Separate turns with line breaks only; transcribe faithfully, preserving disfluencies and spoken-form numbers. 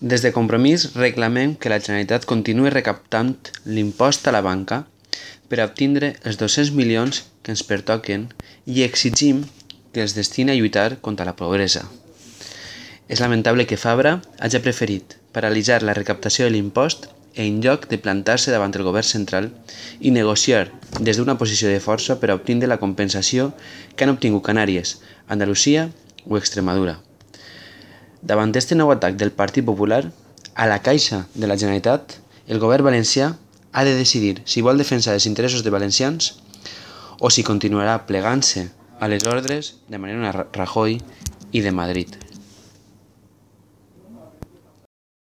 Des de Compromís reclamem que la Generalitat continuï recaptant l'impost a la banca per a obtindre els dos-cents milions que ens pertoquen i exigim que els destini a lluitar contra la pobresa. És lamentable que Fabra hagi preferit paralitzar la recaptació de l'impost en lloc de plantar-se davant el govern central i negociar des d'una posició de força per a obtindre la compensació que han obtingut Canàries, Andalusia o Extremadura. Davant d'aquest nou atac del Partit Popular a la caixa de la Generalitat, el govern valencià ha de decidir si vol defensar els interessos de valencians o si continuarà plegant-se a les ordres de Mariano Rajoy i de Madrid.